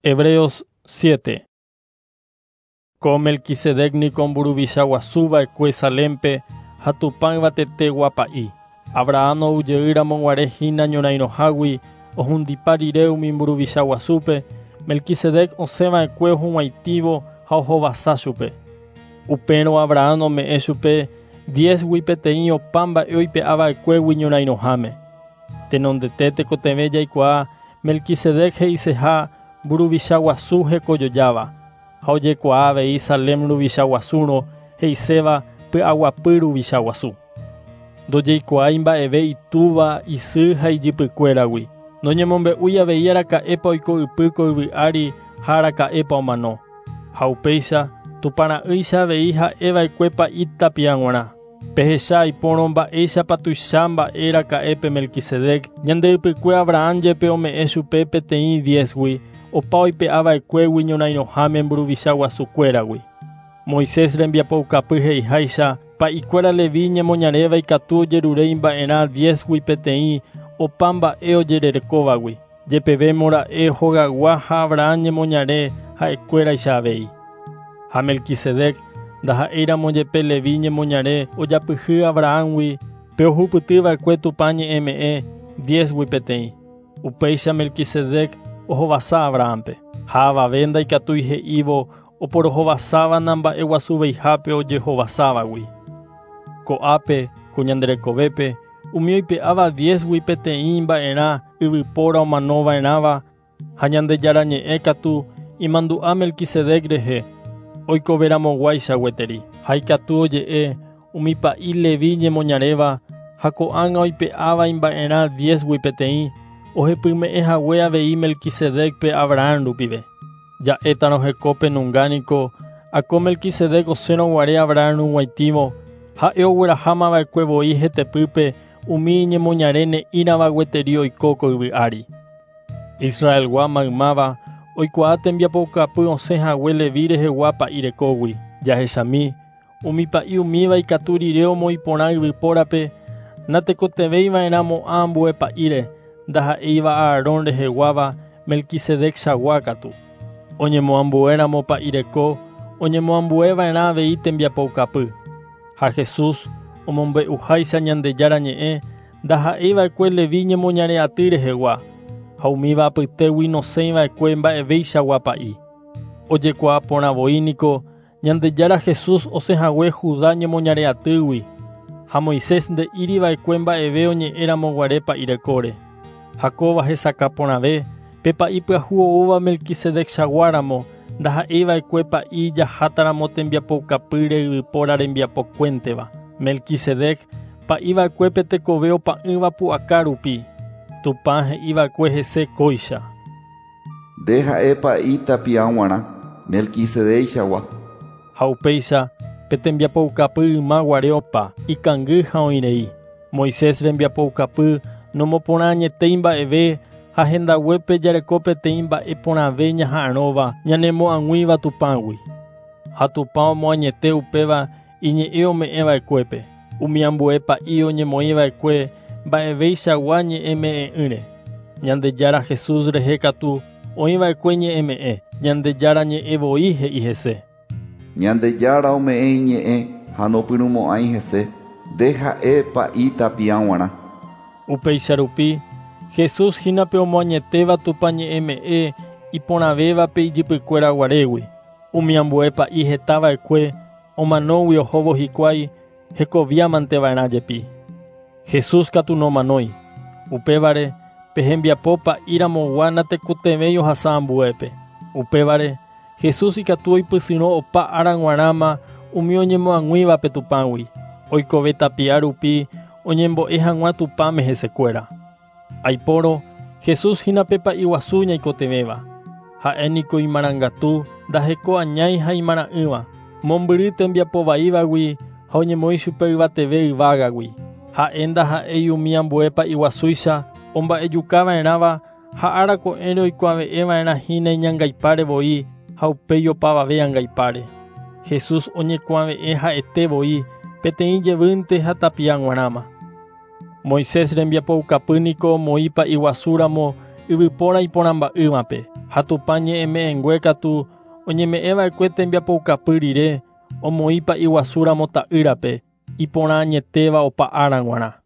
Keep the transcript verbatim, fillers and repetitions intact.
Hebreos siete. Ko Melquisedec niko mburuvicha guasu va'ekue Salempe ha Tupã yvatetegua pa'i. Abraham oujeýramo guare hína ñorairõhágui ohundipa rire umi mburuvicha guasúpe, Melquisedec osẽva'ekue ohug̃uaitĩvo ha ohovasa chupe. Upérõ Abraham ome'ẽ chupe diezgui peteĩ opa mba'e oipe'ava'ekuégui ñorairõháme. Tenondete tekotevẽ jaikuaa Melquisedec he'iseha mburuvicha guasu hekojojáva ha ojekuaa avei Salem ruvicha guasúrõ he'iséva py'aguapy ruvicha guasu. Ndojeikuaái mba'eve itúva, isy ha ijypykuéragui. Noñemombe'úi avei araka'épa oiko ypy ko yvy ári ha araka'épa omano. Ha upéicha Tupãra'ýicha avei ha'eva'ekue pa'i tapia g̃uarã. Pehecha ipórõ mba'éichapa tuicha mba'e raka'épe Melquisedec ñande ypykue Abraham jepe ome'ẽ chupe peteĩ diezgui opa oipe'ava'ekuégui ñorairõháme mburuvicha guasukuéragui. Moisés rembiapoukapy he'iháicha pa'ikuéra Levi ñemoñaréva ikatu ojerure imba'erã diezgui peteĩ opa mba'e ojererekóvagui. Jepevémo ra'e hogaygua ha Abraham ñemoñare ha'ekuéraicha avei. Ha Melquisedec ndaha'éiramo jepe Levi ñemoñare ojapyhy Abrahamgui pe ohupytyva'ekue Tupã ñe'ẽme'ẽ diezgui peteĩ. Upéicha Melquisedec ohovasa Abrahampe. Ha avave ndaikatúi he'ívo oporohovasáva namba'eguasuveihápe ojehovasávagui. Ko'ápe ko ñande rekovépe umi oipe'áva diezgui peteĩ mba'erã yvypóra omanova'erãva ha Ñandejára ñe'ẽ katu imandu'a Melquisedec rehe oikoveramoguáicha gueteri. Ha ikatu oje'e umi pa'i Levi ñemoñaréva ha ko'ág̃a oipe'áva imba'erã diezgui peteĩ ohepyme'ẽ hague avei Melquisedecpe Abraham rupive. Ja'étarõ hekópe nunga niko ako Melquisedec osẽrõ guare Abraham rug̃uaitĩvo ha'e oguerahámava'ekue voi hetepýpe umi ñemoñare ne'írãva gueteri oiko ko yvy ári. Israelgua maymáva oikuaa tembiapoukapy osẽ hague Levi rehegua pa'i rekógui. Jahechami umi pa'i umíva ikatu rire omoĩporã yvypórape natekotevẽiva'erãmo'ã ambue pa'íre ndaha'éiva Aarón reheguáva Melquisedec chagua katu. Oñemoambuéramo pa'i reko oñemoambueva'erã avei tembiapoukapy. Ha Jesús omombe'uháicha Ñandejára ñe'ẽ ndaha'éiva'ekue Levi ñemoñare aty rehegua ha umíva apytégui nosẽiva'ekue mba'evéichagua pa'i. Ojekuaa porã voi niko Ñandejára Jesús osẽhague Judá ñemoñare atýgui ha Moisés nde'íriva'ekue mba'eve oñe'ẽramo guare pa'i rekóre. Ha kóva hesakã porãve pe pa'i pyahu oúva Melquisedec chaguáramo ndaha'éiva'ekue pa'i jahátaramo tembiapoukapýre yvypóra rembiapokuénteva. Melquisedec pa'iva'ekue pe tekove opa'ỹva pu'aka rupi. Tupã he'iva'ekue hese kóicha. Nde ha'e pa'i tapia g̃uarã Melquisedec-chagua. Ha upéicha pe tembiapoukapy yma guare opa ikangy ha oĩrei. Moisés rembiapoukapy nomoporã añetéi mba'eve ha hendaguépe jareko peteĩ mba'e porãve ñaha'arõva ñanemo'ag̃uíva Tupãgui. Ha Tupã omoañete upéva iñe'ẽ ome'ẽva'ekuépe. Umi ambue pa'i oñemoĩva'ekue mba'evéichagua ñe'ẽme'ẽ'ỹre. Ñandejára Jesús rehe katu oĩva'ekue ñe'ẽme'ẽ. Ñandejára ñe'ẽ voi he'i hese. Ñandejára ome'ẽ iñe'ẽ ha nopyrũmo'ãi hese nde ha'e pa'i tapia g̃uarã. Upéicha rupi Jesús hínape omoañetéva Tupã ñe'ẽme'ẽ iporãvévape ijypykuéra guarégui. Umi ambue pa'i hetava'ekue omanógui ohóvo hikuái hekoviamanteva'erã jepi. Jesús katu nomanói. Upévare pe hembiapo pa'íramogua natekotevẽi ohasa ambuépe. Upévare Jesús ikatu oipysyrõ opa ára g̃uarãma umi oñemoag̃uívape Tupãgui. Oikove tapia rupi oñembo'e hag̃ua Tupãme hesekuéra. Aipórõ Jesús hína pe pa'i guasu ñaikotevẽva. Ha'e niko imarangatu ndaheko añái ha imara'ỹva. Mombyry tembiapo vaívagui ha oñemoĩ chupe yvateve yvágagui. Ha'e ndaha'éi umi ambue pa'i guasúicha omba'ejukava'erãva ha ára ko'ẽre oikuave'ẽva'erã hína iñangaipáre voi ha upéi opavave angaipáre. Jesús oñekuave'ẽ ha'ete voi peteĩ jevýnte ha tapia g̃uarãma. Moisés rembiapoukapy niko omoĩ pa'i guasúramo yvypóra iporãmba'ỹvape, ha Tupã ñe'ẽme'ẽngue katu oñeme'ẽva'ekue tembiapoukapy rire omoĩ pa'i guasúramo ta'ýrape iporã añetéva opa ára g̃uarã.